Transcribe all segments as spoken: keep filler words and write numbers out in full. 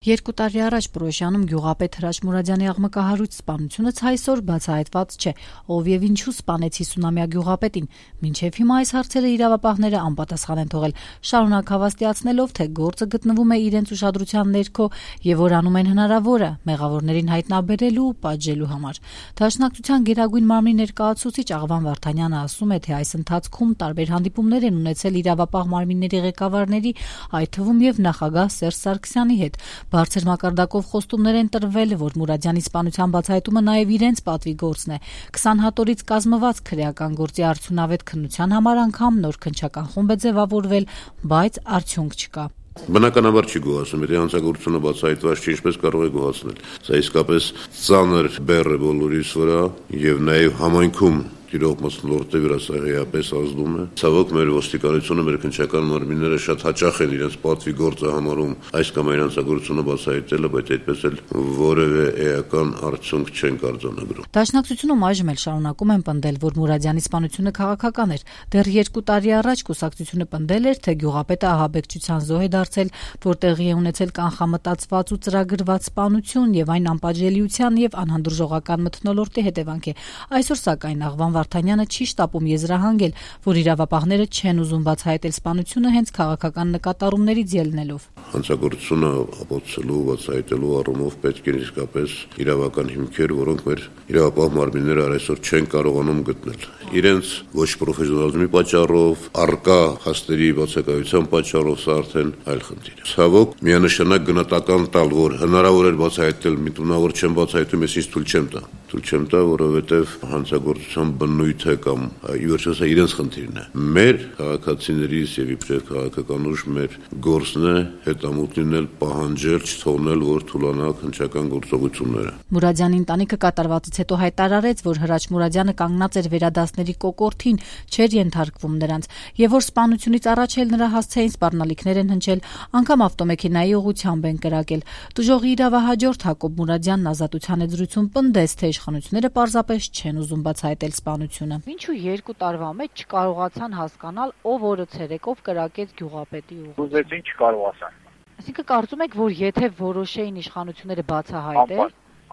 Երկու տարի առաջ Պրոշյանում գյուղապետ Հրաչ Մուրադյանի աղմկահարույց սպանությունը ցայսօր բացահայտված չէ, ով եւ ինչու սպանեց հիսունամյա գյուղապետին, մինչեւ հիմա այս հարցերը իրավապահները անպատասխան են թողել, շարունակ հավաստիացնելով, թե գործը գտնվում է իրենց ուշադրության ներքո եւ որ անում են հնարավորը մեղավորներին հայտնաբերելու ու պատժելու համար։ Դաշնակցության գերագույն մարմնի ներկայացուցիչ Աղվան Վարդանյանը ասում է, թե այս ընթացքում տարբեր հանդիպումներ են ունեցել իրավապահ մարմինների ղեկավարների, այդ թվում եւ նախագահ Սերժ Սարգսյանի հետ։ Բարձր մակարդակով խոստումներ են տրվել, որ Մուրադյանի սպանության բացահայտումը նաև իրենց պատվի գործն է։ քսան հատորից կազմված քրեական գործի արդյունավետ քննության համար անգամ նոր քննչական խումբ է ձևավորվել, բայց արդյունք չկա։ Բնականաբար չի գոհացնում, եթե հանցագործությունը բացահայտված չի, ինչպես կարող է գոհացնել։ Սա իսկապես ծանր բեռ է բոլորիս վրա եւ նաեւ համայնքում Տիրող մթնոլորտի վրա սահեապես ազդում է։ Ցավոք մեր ոստիկանությունը, մեր քննչական մարմինները շատ հաճախ են իրենց պատվի գործը համարում այս կամ այն հանցագործությունը բացահայտելը, բայց այդպես էլ որևէ էական արդյունք չեն արձանագրում։ Դաշնակցությունում այժմ էլ շարունակում են պնդել, որ Մուրադյանի սպանությունը քաղաքական էր։ Դեռ երկու տարի առաջ կուսակցությունը պնդել էր, թե գյուղապետը ահաբեկչության զոհ է դարձել, որ տեղի է ունեցել կանխամտածված ու ծրագրված սպանություն եւ այն անպատժելիության եւ անհանդուրժողական մթնոլորտի հետևանք է։ Այսօր սակայն Աղվան Վարդանյանը չի շտապում եզրահանգել, որ իրավապահները չեն ուզում բացահայտել սպանությունը հենց քաղաքական նկատառումներից ելնելով։ Հանցագործությունը ապացուցելու, բացահայտելու առումով պետք է իսկապես իրավական հիմքեր, որոնք մեր իրավապահ մարմինները այսօր չեն կարողանում գտնել։ Իրենց ոչ պրոֆեսիոնալիզմի պատճառով, առկա հաստերի բացակայության պատճառով սա արդեն այլ խնդիր է։ Ցավոք, միանշանակ գնահատական տալ, որ հնարավոր է բացահայտել, միտումնավոր չեն բացահայտում, ես ինձ թույլ չեմ տա։ Թույլ չեմ տա, որովհետև հանցագործության բնույթը կամ իվերչո սա իրենց խնդիրն է։ Մեր քաղաքացիներից եւ իբրև քաղաքական ուժ մեր գործն է հետամուտ լինել, պահանջել, չթողնել, որ թուլանա քննչական գործողությունները։ Մուրադյանի ընտանիքը կատարվածից հետո հայտարարեց, որ Հրաչ Մուրադյանը կանգնած էր վերադասների կոկորդին, չէր ենթարկվում նրանց, եւ որ սպանությունից առաջ էլ նրա հասցեին սպառնալիքներ են հնչել, անգամ ավտոմեքենայի ուղղությամբ են կրակել։ Տուժողի իրավահաջորդ Հակոբ Մուրադյանն ազատության եզրույցում պնդեց, թե իշխանությունները պարզապես չեն ուզում բացահայտել սպանությունը։ Ինչու երկու տարվա մեջ չկարողացան հասկանալ, ով օրը ցերեկով կրակեց գյուղապետի ուղղությամբ։ Ուզեցին չկարողացան։ Այսինքն կարծում եք, որ եթե որոշեին իշխանությունները բացահայտել,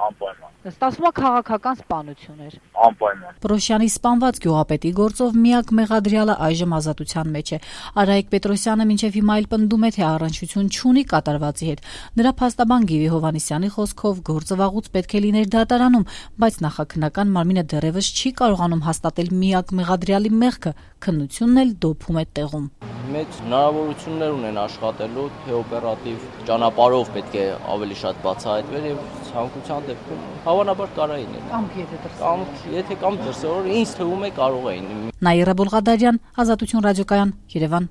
անպայման ստացվում է քաղաքական սպանություն էր։ Անպայման։ Պրոշյանի սպանված գյուղապետի գործով միակ մեղադրյալը այժմ ազատության մեջ է։ Արայիկ Պետրոսյանը մինչև հիմա էլ պնդում է, թե առնչություն չունի կատարվածի հետ։ Նրա փաստաբան Գիվի Հովհաննիսյանի խոսքով գործը վաղուց պետք է լիներ դատարանում, բայց նախաքննական մարմինը դեռևս չի կարողանում հաստատել միակ մեղադրյալի մեղքը, քննությունն էլ դոփում է տեղում։ Մեծ հնարավորություններ ունեն աշխատելու, թե օպերատիվ ճանապարհով պետք է ավելի շատ բացահայտվեր եւ ցանկության դեպքում հավանաբար կարային է։ Կամ եթե Կամ եթե կամ դրսևոր ինձ թվում է կարող էին։ Նաիրա Բոլղադարյան, Ազատություն ռադիոկայան, Երևան։